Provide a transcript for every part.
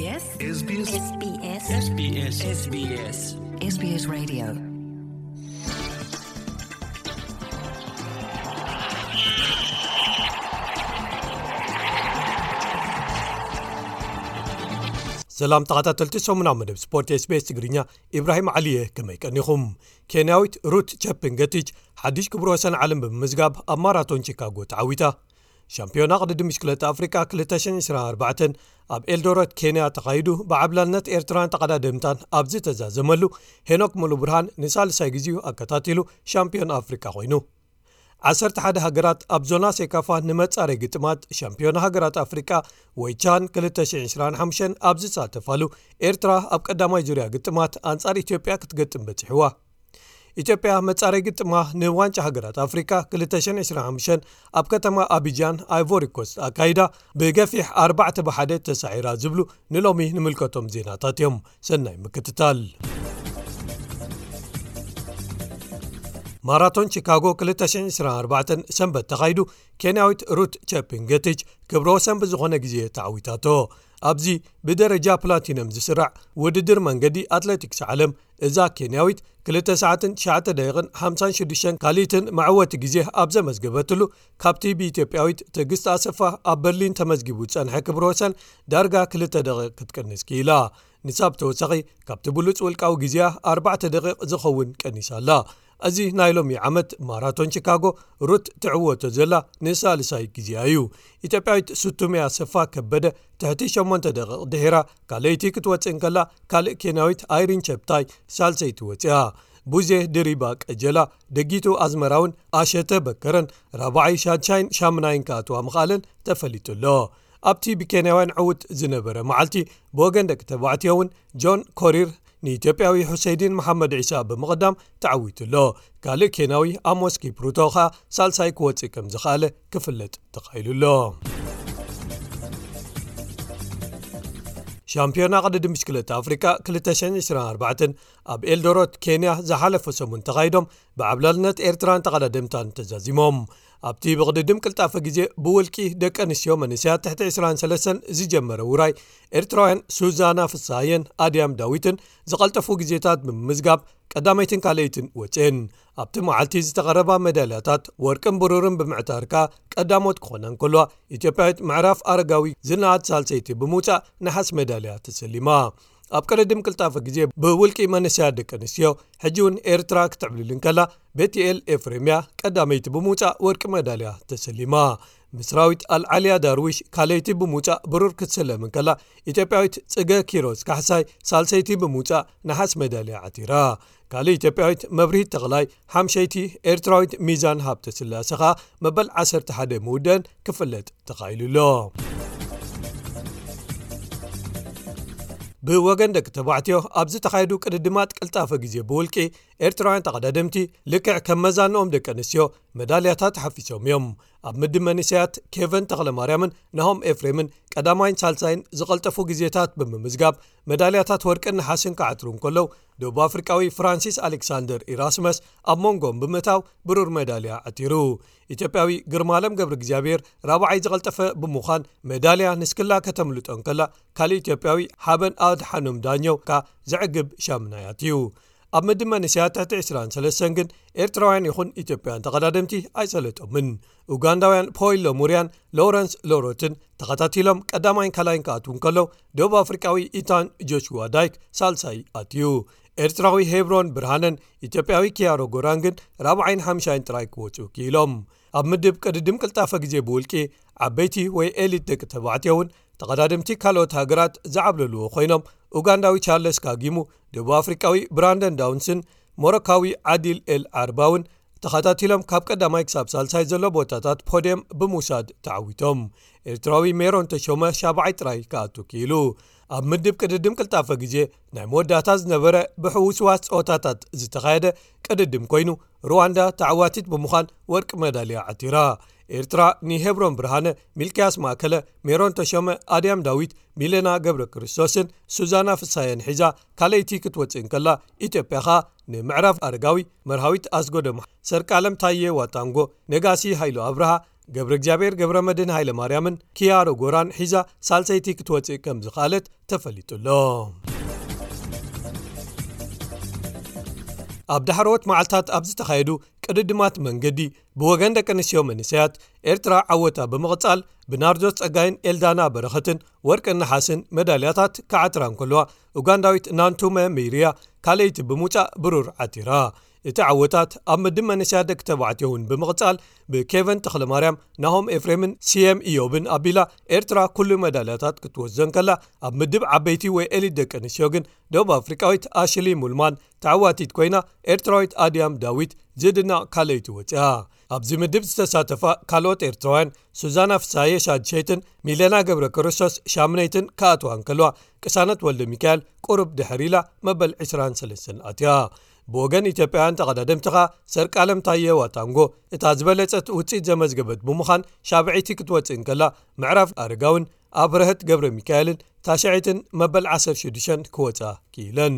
SBS SBS SBS SBS SBS Radio. ሰላም ተኸታተልቲ ሰሙናዊ መደብ ስፖርት SBS ትግርኛ፣ ኢብራሂም ዓሊየ፣ ከመይ ቀኒኹም? ኬንያዊት ሩት ቸፕንገቲች ሓድሽ ክብረ ወሰን ዓለም ብምምዝጋብ ኣብ ማራቶን ቺካጎ ተዓዊታ። ሻምፒዮና ቅድድም ብሽክለታ ኣፍሪቃ ክልተ ሽሕን ዕስራን ኣርባዕተን ኣብ ኤልዶረት ኬንያ ተኻይዱ፣ ብዓብላልነት ኤርትራን ተቐዳደምታን ኣብ ዝተዛዘመሉ፣ ሄኖክ ሙሉብርሃን ንሳልሳይ ግዜኡ ኣከታቲሉ ሻምፒዮን ኣፍሪቃ ኮይኑ። ዓሰርተ ሓደ ሃገራት ኣብ ዞና ሴካፋ ንመጻረይ ግጥማት ሻምፒዮና ሃገራት ኣፍሪቃ ወይ ቻን ክልተ ሽሕን ዕስራን ሓሙሽተን ኣብ ዝሳተፋሉ፣ ኤርትራ ኣብ ቀዳማይ ዙርያ ግጥማት ኣንጻር ኢትዮጵያ ክትገጥም በጺሕዋ። ኢትዮጵያ መጻረይ ግጥማ ንዋንጫ ሃገራት ኣፍሪቃ ክልተ ሽሕን ዕስራን ሓሙሽተን ኣብ ከተማ ኣቢጃን ኣይቮሪ ኮስት ኣካይዳ፣ ብገፊሕ ኣርባዕተ ብሓደ ተሳዒራ ዝብሉ ንሎሚ ንምልከቶም ዜናታት እዮም። ሰናይ ምክትታል። ማራቶን ቺካጎ ክልተ ሽሕን ዕስራን ኣርባዕተን ሰንበት ተኻይዱ፣ ኬንያዊት ሩት ቸፕንገቲች ክብረ ወሰን ብዝኾነ ግዜ ተዓዊታቶ። ኣብዚ ብደረጃ ፕላቲነም ዝስራዕ ውድድር መንገዲ ኣትሌቲክስ ዓለም፣ እዛ ኬንያዊት ክልተ ሰዓትን ትሽዓተ ደቂቕን ሓምሳን ሽዱሽተን ካልኢትን መዕወቲ ግዜ ኣብ ዘመዝገበትሉ፣ ካብቲ ብኢትዮጵያዊት ትዕግስት ኣሰፋ ኣብ በርሊን ተመዝጊቡ ዝጸንሐ ክብረ ወሰን ዳርጋ ክልተ ደቂቕ ክትቅንስ ክኢላ። ንሳ ብተወሳኺ ካብቲ ብሉጽ ውልቃዊ ግዜኣ ኣርባዕተ ደቂቕ ዝኸውን ቀኒሳ ኣላ። እዚ ናይ ሎሚ ዓመት ማራቶን ቺካጎ ሩት ትዕወቶ ዘላ ንሳልሳይ ግዜኣ እዩ። ኢትዮጵያዊት ሱቱሜ ኣሰፋ ከበደ ትሕቲ ሸሞንተ ደቂቕ ድሒራ ካልኣይቲ ክትወጽእ እንከላ፣ ካልእ ኬንያዊት ኣይሪን ቸፕታይ ሳልሰይቲ ወጺኣ። ቡዜ ድሪባ ቀጀላ፣ ደጊቱ ኣዝመራውን ኣሸተ በከረን ራብዓይ፣ ሻድሻይን ሻምናይን ክኣትዋ ምኽኣለን ተፈሊጡ ኣሎ። ኣብቲ ብኬንያውያን ዕዉት ዝነበረ መዓልቲ፣ ብወገን ደቂ ተባዕትዮ እውን ጆን ኮሪር ንኢትዮጵያዊ ሁሰይዲን መሓመድ ዒሳ ብምቕዳም ተዓዊቱ ኣሎ። ካልእ ኬንያዊ ኣሞስ ኪፕሩቶ ኸኣ ሳልሳይ ክወጽእ ከም ዝኸኣለ ክፍለጥ ተኻኢሉ ኣሎ። ሻምፒዮና ቅድድም ብሽክለታ ኣፍሪቃ ክልተ ሽሕን ዕስራን ኣርባዕተን ኣብ ኤልዶሮት ኬንያ ዝሓለፈ ሰሙን ተኻይዶም፣ ብዓብላልነት ኤርትራን ተቐዳደምታን ተዛዚሞም። ኣብቲ ብቕድድም ቅልጣፈ ግዜ ብውልቂ ደቂ ኣንስትዮ መንእሰያት ትሕቲ ዕስራን ሰለስተን ዝጀመረ ውራይ፣ ኤርትራውያን ሱዛና ፍስሃየን ኣድያም ዳዊትን ዝቐልጠፉ ግዜታት ብምምዝጋብ ቀዳመይትን ካልኣይትን ወፅኤን። ኣብቲ መዓልቲ ዝተቐረባ ሜዳልያታት ወርቅን ብሩርን ብምዕታር ከኣ ቀዳሞት ክኾና እንከልዋ፣ ኢትዮጵያዊት ምዕራፍ ኣረጋዊ ዝነኣድ ሳልሰይቲ ብምውፃእ ነሓስ ሜዳልያ ተሰሊማ። ኣብ ቅድድም ቅልጣፈ ግዜ ብውልቂ መንእሰያት ደቂ ኣንስትዮ፣ ሕጂ እውን ኤርትራ ክትዕብልል እንከላ፣ ቤትኤል ኤፍሬምያ ቀዳመይቲ ብምውጻእ ወርቂ መዳልያ ተሰሊማ። ምስራዊት ኣልዓልያ ዳርዊሽ ካልኣይቲ ብምውጻእ ብሩር ክትስለም እንከላ፣ ኢትዮጵያዊት ጽገ ኪሮስ ካሕሳይ ሳልሰይቲ ብምውጻእ ነሓስ መዳልያ ዓቲራ። ካልእ ኢትዮጵያዊት መብርሂት ተኽላይ ሓምሸይቲ፣ ኤርትራዊት ሚዛን ሃብተ ስላሰ ኸኣ መበል ዓሰርተ ሓደ ምውደን ክፍለጥ ተኻኢሉ ኣሎ። ብወገን ደቂ ተባዕትዮ ኣብ ዝተኻየዱ ቅድድማት ቅልጣፈ ግዜ ብውልቂ፣ ኤርትራውያን ተቐዳደምቲ ልክዕ ከም መዛንኦም ደቂ ኣንስትዮ መዳልያታት ሓፊሶም እዮም። ኣብ ምድብ መንእሰያት ኬቨን ተኽለማርያምን ናሆም ኤፍሬምን ቀዳማይን ሳልሳይን ዝቐልጠፉ ግዜታት ብምምዝጋብ መዳልያታት ወርቅን ነሓስን ክዓትሩ እንከለዉ፣ ደቡብ ኣፍሪቃዊ ፍራንሲስ ኣሌክሳንደር ኢራስመስ ኣብ መንጎም ብምእታው ብሩር መዳልያ ዓቲሩ። ኢትዮጵያዊ ግርማለም ገብረ እግዚኣብሔር ራብዓይ ዝቐልጠፈ ብምዃን መዳልያ ንስክላ ከተምልጦ እንከላ፣ ካልእ ኢትዮጵያዊ ሓበን ኣድሓኖም ዳኘው ከኣ ዘዕግብ ሻምናይ ኣትዩ። ኣብ ምድብ መንእሰያት ትሕቲ ዕስራን ሰለስተን ግን ኤርትራውያን ይኹን ኢትዮጵያውያን ተቐዳደምቲ ኣይሰለጦምን። ኡጋንዳውያን ፖይሎ ሙርያን ሎረንስ ሎሮትን ተኸታቲሎም ቀዳማይን ካልኣይን ክኣትዉ እንከለዉ፣ ደቡብ ኣፍሪቃዊ ኢታን ጆሽዋ ዳይክ ሳልሳይ ኣትዩ። ኤርትራዊ ሄብሮን ብርሃነን ኢትዮጵያዊ ኪያሮ ጎራንግን ራብዓይን ሓምሻይን ጥራይ ክወጹ ክኢሎም። ኣብ ምድብ ቅድድም ቅልጣፈ ግዜ ብውልቂ፣ ዓበይቲ ወይ ኤሊት ደቂ ተባዕትዮ እውን ተቐዳደምቲ ካልኦት ሃገራት ዝዓብለልዎ ኮይኖም፣ ኡጋንዳዊ ቻርለስ ካጊሙ፣ ደቡብ ኣፍሪቃዊ ብራንደን ዳውንስን ሞሮካዊ ዓዲል ኤል ዓርባውን ተኸታቲሎም ካብ ቀዳማይ ክሳብ ሳልሳይ ዘሎ ቦታታት ፖድየም ብምውሳድ ተዓዊቶም። ኤርትራዊ ሜሮን ተሾመ ሻብዓይ ጥራይ ክኣቱ ክኢሉ። ኣብ ምድብ ቅድድም ቅልጣፈ ግዜ ናይ መወዳእታ ዝነበረ ብሕውስዋስ ጸወታታት ዝተኻየደ ቅድድም ኮይኑ፣ ሩዋንዳ ተዓዋቲት ብምዃን ወርቂ መዳልያ ዓቲራ። ኤርትራ ንሄብሮን ብርሃነ፣ ሚልክያስ ማእከለ፣ ሜሮን ተሾመ፣ ኣድያም ዳዊት፣ ሚለና ገብረ ክርስቶስን ሱዛና ፍሳየን ሒዛ ካልኣይቲ ክትወጽእ እንከላ፣ ኢትዮጵያ ኸኣ ንምዕራፍ ኣረጋዊ፣ መርሃዊት ኣስጎዶም፣ ሰርቃለም ታየ ዋጣንጎ፣ ነጋሲ ሃይሉ ኣብርሃ፣ ገብረ እግዚኣብሔር ገብረ መድህን ሃይለ ማርያምን ኪያሮ ጎራን ሒዛ ሳልሰይቲ ክትወፅእ ከም ዝኸኣለት ተፈሊጡ ኣሎ። ኣብ ዳሕረዎት መዓልታት ኣብ ዝተኻየዱ ቅድድማት መንገዲ ብወገን ደቂ ኣንስትዮ መንእሰያት ኤርትራ ዓወታ ብምቕጻል ብናርዶስ ጸጋይን ኤልዳና በረኸትን ወርቅን ነሓስን መዳልያታት ክዓትራ እንከለዋ፣ ኡጋንዳዊት ናንቱመ ሚርያ ካልኣይቲ ብምውጻእ ብሩር ዓቲራ። እቲ ዓወታት ኣብ ምድብ መንእሰያት ደቂ ተባዕትዮ እውን ብምቕጻል ብኬቨን ተኽለማርያም፣ ናሆም ኤፍሬምን ሲየም ኢዮብን ኣቢላ ኤርትራ ኩሉ መዳልያታት ክትወስዶ እንከላ፣ ኣብ ምድብ ዓበይቲ ወይ ኤሊት ደቂ ኣንስትዮ ግን ደቡብ ኣፍሪቃዊት ኣሽሊ ሙልማን ተዓዋቲት ኮይና፣ ኤርትራዊት ኣድያም ዳዊት ዝድነቕ ካልኣይቲ ወፂኣ። ኣብዚ ምድብ ዝተሳተፋ ካልኦት ኤርትራውያን ሱዛና ፍሳየ ሻድሸይትን ሚለና ገብረ ክርስቶስ ሻምነይትን ክኣትዋ እንከለዋ፣ ቅሳነት ወልደ ሚካኤል ቁሩብ ድሕር ኢላ መበል ዕስራን ሰለስተን ኣትያ። ብወገን ኢትዮጵያውያን ተቐዳደምቲ ኸኣ ሰርቃለም ታየ ዋታንጎ እታ ዝበለጸት ውፅኢት ዘመዝገበት ብምዃን ሻብዐይቲ ክትወፅእ እንከላ፣ ምዕራፍ ኣረጋውን ኣብረህት ገብረ ሚካኤልን ታሽዐይትን መበል ዓሰርተ ሽዱሽተን ክወፃ ክኢለን።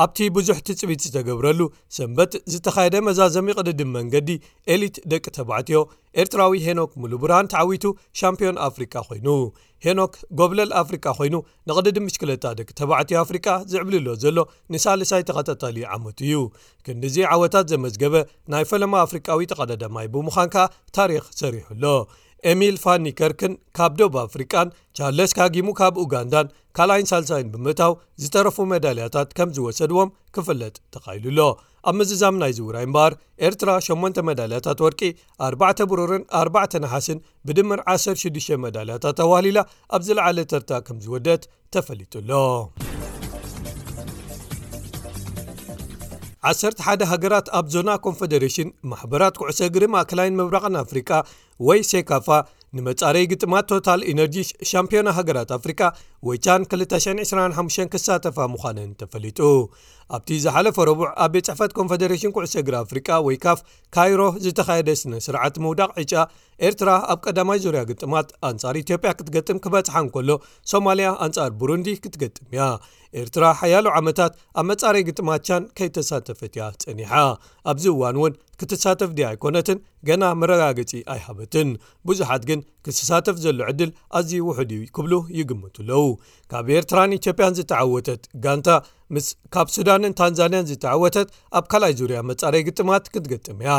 ኣብቲ ብዙሕ ትጽቢት ዝተገብረሉ ሰንበት ዝተኻየደ መዛዘሚ ቅድድም መንገዲ ኤሊት ደቂ ተባዕትዮ፣ ኤርትራዊ ሄኖክ ሙሉብርሃን ተዓዊቱ ሻምፒዮን ኣፍሪቃ ኮይኑ። ሄኖክ ጎብለል ኣፍሪቃ ኮይኑ ንቕድድም ብሽክለታ ደቂ ተባዕትዮ ኣፍሪቃ ዝዕብልሎ ዘሎ ንሳልሳይ ተኸታታሊ ዓመቱ እዩ። ክንድዚ ዓወታት ዘመዝገበ ናይ ፈለማ ኣፍሪቃዊ ተቐዳዳማይ ብምዃን ከኣ ታሪኽ ሰሪሑ ኣሎ። ኤሚል ፋን ኒከርክን ካብ ደቡብ ኣፍሪቃን ቻርለስ ካጊሙ ካብ ኡጋንዳን ካልኣይን ሳልሳይን ብምእታው ዝተረፉ መዳልያታት ከም ዝወሰድዎም ክፍለጥ ተኻኢሉ ኣሎ። ኣብ ምዝዛም ናይ ዝውራይ እምበኣር ኤርትራ ሸሞንተ መዳልያታት ወርቂ፣ ኣርባዕተ ብሩርን ኣርባዕተ ነሓስን ብድምር ዓሰርተ ሽዱሽተ መዳልያታት ኣዋህሊላ ኣብ ዝለዓለ ተርታ ከም ዝወደት ተፈሊጡ ኣሎ። ዓሰርተ ሓደ ሃገራት ኣብ ዞና ኮንፈደሬሽን ማሕበራት ኩዕሶ እግሪ ማእከላይን ምብራቕን ኣፍሪቃ ወይ ሴካፋ ንመጻረይ ግጥማት ቶታል ኢነርጂ ሻምፒዮና ሃገራት ኣፍሪቃ ወይ ቻን ክልተ ሽሕን ዕስራን ሓሙሽተን ክሳተፋ ምዃነን ተፈሊጡ። ኣብቲ ዝሓለፈ ረቡዕ ኣብ ቤት ጽሕፈት ኮንፈደሬሽን ኩዕሶ እግሪ ኣፍሪቃ ወይ ካፍ ካይሮ ዝተኻየደ ስነ ስርዓት ምውዳቕ ዕጫ፣ ኤርትራ ኣብ ቀዳማይ ዙርያ ግጥማት ኣንጻር ኢትዮጵያ ክትገጥም ክበጽሓ እንከሎ፣ ሶማልያ ኣንጻር ቡሩንዲ ክትገጥም እያ። ኤርትራ ሓያሎ ዓመታት ኣብ መጻረይ ግጥማት ቻን ከይተሳተፈት እያ ጸኒሓ። ኣብዚ እዋን እውን ክትሳተፍ ድያ ኣይኮነትን ገና መረጋገጺ ኣይሃበትን። ብዙሓት ግን ክሳተፍ ዘሎ ዕድል ኣዝዩ ውሑድ እዩ ክብሉ ይግምቱ ኣለዉ። ካብ ኤርትራን ኢትዮጵያን ዝተዓወተት ጋንታ ምስ ካብ ሱዳንን ታንዛንያን ዝተዓወተት ኣብ ካልኣይ ዙርያ መጻረይ ግጥማት ክትገጥም እያ።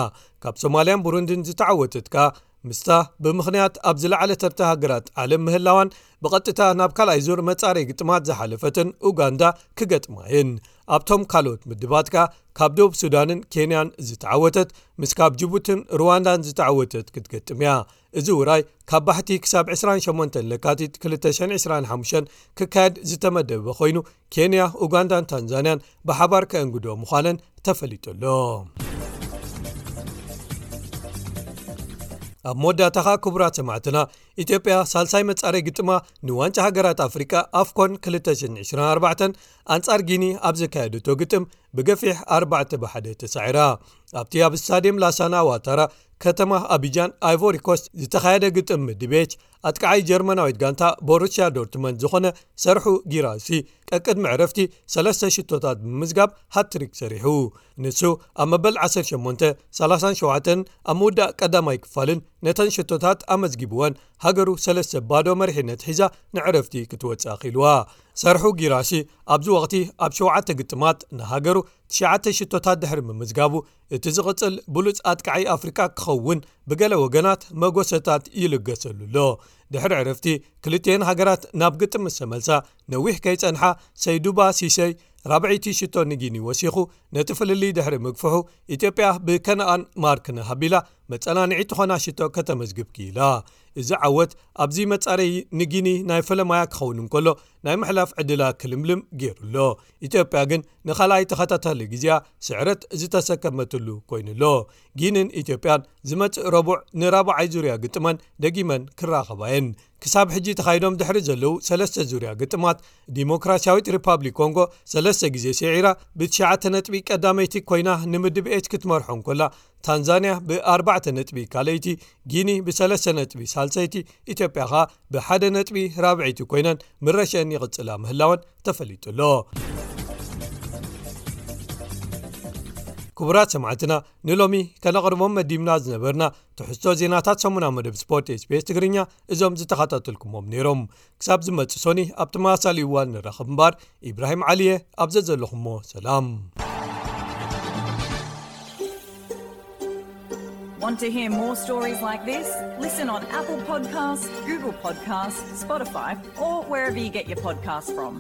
ካብ ሶማልያን ቡሩንድን ዝተዓወተት ከኣ ምስታ ብምኽንያት ኣብ ዝለዓለ ተርታ ሃገራት ዓለም ምህላዋን ብቐጥታ ናብ ካልኣይ ዙር መጻረይ ግጥማት ዝሓለፈትን ኡጋንዳ ክገጥማ እየን። ኣብቶም ካልኦት ምድባት ከኣ ካብ ደቡብ ሱዳንን ኬንያን ዝተዓወተት ምስ ካብ ጅቡትን ሩዋንዳን ዝተዓወተት ክትገጥም እያ። እዚ ውራይ ካብ ባሕቲ ክሳብ ዕስራን ሸሞንተን ለካቲት ክልተ ሽሕን ዕስራን ሓሙሽተን ክካየድ ዝተመደበ ኮይኑ፣ ኬንያ፣ ኡጋንዳን ታንዛንያን ብሓባር ከእንግዶ ምዃነን ተፈሊጡ ኣሎ። ኣብ መወዳእታኻ ክቡራት ሰማዕትና፣ ኢትዮጵያ ሳልሳይ መጻረይ ግጥማ ንዋንጫ ሃገራት ኣፍሪቃ ኣፍኮን ክልተ ሽሕን ዕስራን ኣርባዕተን ኣንጻር ጊኒ ኣብ ዘካየደቶ ግጥም ብገፊሕ ኣርባዕተ ብሓደ ተሳዒራ። ኣብቲ ኣብ ስታድየም ላሳና ዋታራ ከተማ ኣቢጃን ኣይቮሪ ኮስት ዝተኻየደ ግጥም ምድብ ኤች፣ ኣጥቃዓይ ጀርመናዊት ጋንታ ቦሩሲያ ዶርትመንድ ዝኾነ ሰርሑ ጊራሲ ቀቅድሚ ዕረፍቲ ሰለስተ ሽቶታት ብምምዝጋብ ሃትሪክ ሰሪሑ። ንሱ ኣብ መበል ዓሰርተ ሸሞንተ፣ ሰላሳን ሸውዓተን ኣብ ምውዳእ ቀዳማይ ክፋልን ነተን ሽቶታት ኣመዝጊብወን ሃገሩ ሰለስተ ባዶ መሪሕነት ሒዛ ንዕረፍቲ ክትወጽእ ኣኽኢልዋ። ሰርሑ ጊራሲ ኣብዚ ወቕቲ ኣብ ሸውዓተ ግጥማት ንሃገሩ ትሽዓተ ሽቶታት ድሕሪ ምምዝጋቡ፣ እቲ ዝቕጽል ብሉጽ ኣጥቃዓይ ኣፍሪቃ ክኸውን ብገለ ወገናት መጎሰታት ይልገሰሉ ኣሎ። ድሕሪ ዕረፍቲ ክልቲኤን ሃገራት ናብ ግጥም ምስ ተመልሳ፣ ነዊሕ ከይጸንሓ ሰይዱባ ሲሰይ ራብዐይቲ ሽቶ ንጊኒ ወሲኹ ነቲ ፍልልይ ድሕሪ ምግፍሑ፣ ኢትዮጵያ ብከነኣን ማርክነህ ኣቢላ መጸናንዒ ትኾና ሽቶ ከተመዝግብ ክኢላ። እዚ ዓወት ኣብዚ መጻረዪ ንጊኒ ናይ ፈለማያ ክኸውን እንከሎ፣ ናይ ምሕላፍ ዕድላ ክልምልም ገይሩ ኣሎ። ኢትዮጵያ ግን ንኻልኣይ ተኸታታሊ ግዜኣ ስዕረት ዝተሰከመትሉ ኮይኑ ኣሎ። ጊንን ኢትዮጵያን ዝመጽእ ረቡዕ ንራብዓይ ዙርያ ግጥመን ደጊመን ክራኸባ እየን። ክሳብ ሕጂ ተኻይዶም ድሕሪ ዘለዉ ሰለስተ ዙርያ ግጥማት፣ ዲሞክራሲያዊት ሪፓብሊክ ኮንጎ ሰለስተ ግዜ ስዒራ ብትሽዓተ ነጥቢ ቀዳመይቲ ኮይና ንምድብ ኤች ክትመርሖ እንከላ፣ ታንዛንያ ብኣርባዕተ ነጥቢ ካልኣይቲ፣ ጊኒ ብሰለስተ ነጥቢ ሳልሰይቲ፣ ኢትዮጵያ ኸኣ ብሓደ ነጥቢ ራብዐይቲ ኮይነን ምረሸን ይቕጽላ ምህላወን ተፈሊጡ ኣሎ። ክቡራት ሰማዕትና፣ ንሎሚ ከነቕርቦም መዲብና ዝነበርና ትሕዝቶ ዜናታት ሰሙና መደብ ስፖርት ኤስቢኤስ ትግርኛ እዞም ዝተኸታተልኩሞም ነይሮም። ክሳብ ዝመጽእ ሶኒ ኣብ ተመሳሳሊ እዋን ንራኸብ እምበር፣ ኢብራሂም ዓሊየ ኣብ ዘዘለኹሞ ሰላም። Want to hear more stories like this? Listen on Apple Podcasts, Google Podcasts, Spotify, or wherever you get your podcasts from.